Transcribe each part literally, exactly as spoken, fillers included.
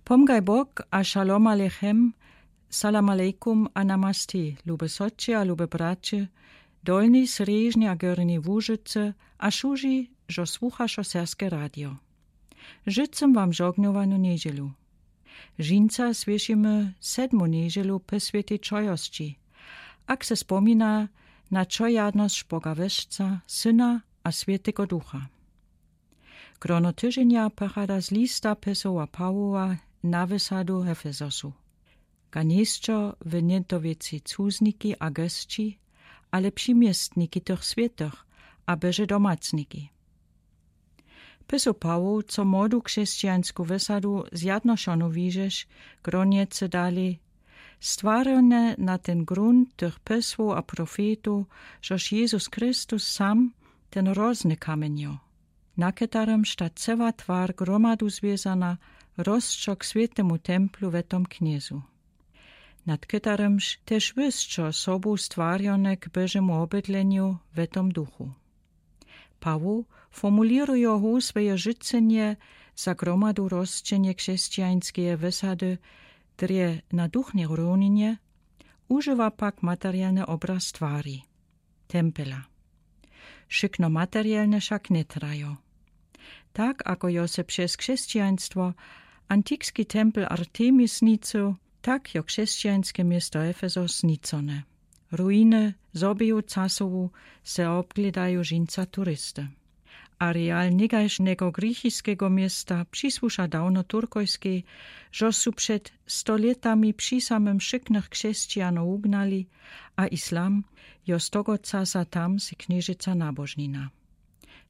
Pomgaj bok a šalom alechem. Salam alejkum a namaste, lube sotče a lube braće, dolni sriežni a górni łužice, a šuži, żo słuchasz o serbske radio. Życzym wam żognowanu niedzielu. Dżinsa słyszymy sedmu niedzielu po swiętej czojosci, ak se spomina na czojadnosc boga weszca, syna a swiętego ducha. Grono tyżenia pochada z lista pesoła pałoła na wysadu efezosu. Ga niesczo w nientowicy cuzniki a gesci, ale przimiestniki tych swiętych, a beże domacniki. Pesoł pałoł, co młodu krzescijańsku wysadu zjadnoszonu wiżesz, groniece dali stwarjone na ten grunt tych pesłoł a profetów, żoż jezus christus sam, ten rozny kamienio, na ketarym szta ceła twar gromadu zwiezana, rozczok swiętemu templu we tom kniezu, nad ketarymż też wysczo sobą stwarjone k beżemu obydleniu we tom duchu. Pałoł formulirujo hosłeje życenie za gromadu rozczenie krzescijańskeje wysady, drje na duchnej równinie, używa pak materialny obraz twari, tempela. Szykno materialne szak nie trajo. Tak ako jo se przez krzescijaństwo antikski tempel artemis nicył, tak jo krzescijańske miesto efezos nicone. Ruiny zobiju casowu se obglidaju dżinsa turisty. Areal niegajsznego grichiskego miesta przisłusza dawno turkojskej, żo su przed stoletami przi samym szyknych krzescijano ugnali, a islam jo z tego casa tam se knieżyca nabożnina.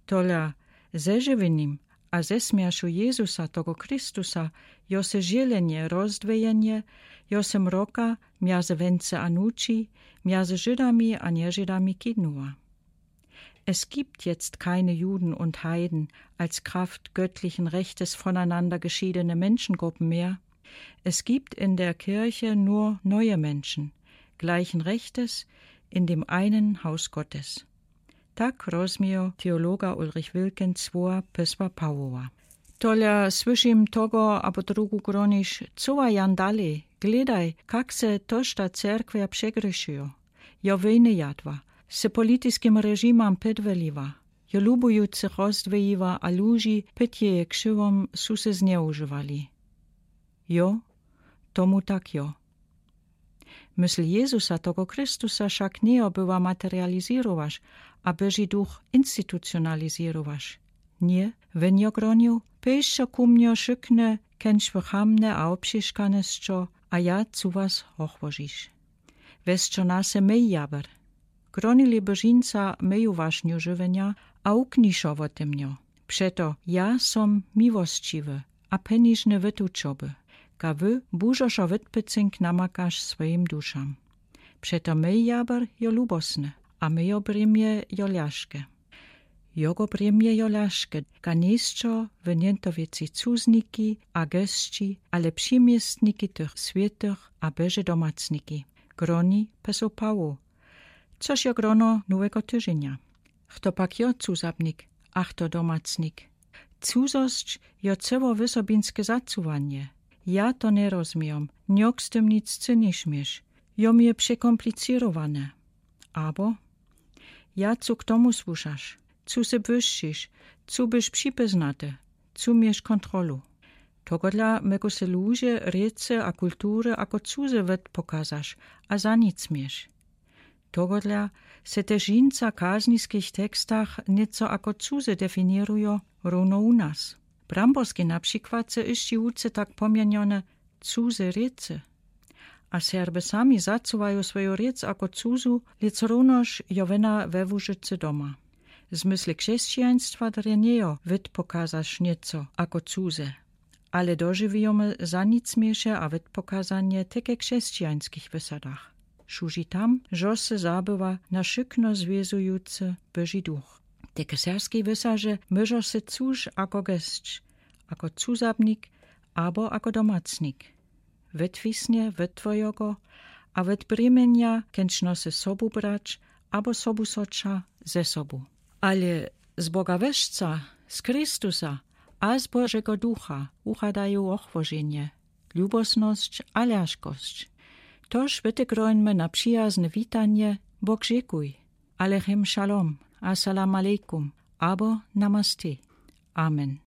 Tola ze żywienim a ze smierszu jezusa tego christusa jo se żelenie rozdwejenie, jo se mroka miazy wence a nuczi, miazy żydami a nieżydami kinuła. Es gibt jetzt keine Juden und Heiden, als kraft göttlichen rechtes voneinander geschiedene menschengruppen mehr. Es gibt in der kirche nur neue menschen, gleichen rechtes, in dem einen haus gottes. Tak rozmiejo teologa ulrich wilken słowa pesła pałoła. Tola słyszim tego abo drugu gronisz, coła jan dalej, gledaj, kak se tożta cerkwia przegrzeszijo. Jo wejny jadła, se politiskim reżimam podwoliła, jo lubujących rozdwojiła a lużi pod jeje krzywą su se znieużywali. Jo, tomu tak jo. Mysl jezusa tego christusa szak nie jo była materializirowasz, a beżi duch institucionalizirowasz. Nie, wen jo gronił, pejsczo ku mnio szykne, kęczwy chamne a obsieszkane sco, a ja cu was ochłożisz. Wesczo nase mej jaber. Gronili by dżinsa meju waszniu żywenia, a ukniszo wo tym nio. Przeto ja som miłosciwy, a peniżny wytuczoby, ga wy burzoszo wytpycynk namakasz swojim duszam. Przeto mej jaber jo lubosny, a mejo brimie jo ljażke. Jogo brimie jo ljażke, ga niesczo w nientowicy cuzniki a gesci, ale przimiestniki tych swiętych a beże domacniki. Groni pesoł pałoł. Coż jo grono nowego tyżenia? Chto pak jo cuzabnik, a chto domacnik? Cuzosc jo ceło wysobinske zacuwanie. Ja to nie rozmiejom, niok z tym nic cynisz miesz. Jo mie przekomplicyrowane. Abo ja cu k tomu słuszasz, cu se błyszczisz, cu bysz przipyznaty, cu miesz kontrolu. Togodla mego se luże, riecy a kultury ako cuze wetpokazasz, a za nic miesz. Togodla se też dżinsa w kazniskich tekstach nieco ako cuze definiruje, równo u nas. Bramborski na przikład se iszczi ucy tak pomienione cuze riecy. A serby sami zacuwają swoją riec ako cuzu, lec równoż jo wena we łużycy doma. W zmysle krzescijaństwa drje nie jo wetpokazasz nieco ako cuze, ale dożiwijomy za nic miesze a wetpokazanie teke w krzescijańskich wysadach. Szużi tam, żo se zabywa na szykno zwiezujcy beżi duch. Teke w serbskich wysadach mierzą se cuż ako gesc, ako cuzabnik abo ako domacnik. Wetwisnie wet twojogo a wet brimienia, kęczno se sobu brać abo sobu socza ze sobu. Ale z boga weszca, z christusa a z bożego ducha uchadaju ochłożenie. lubosnosć a ljażkosć. Toż wytegrojmy na przijazne witanje: Bóg żekuj, Aleichem Šalom, Assalam alejkum abo Namaste. Amen.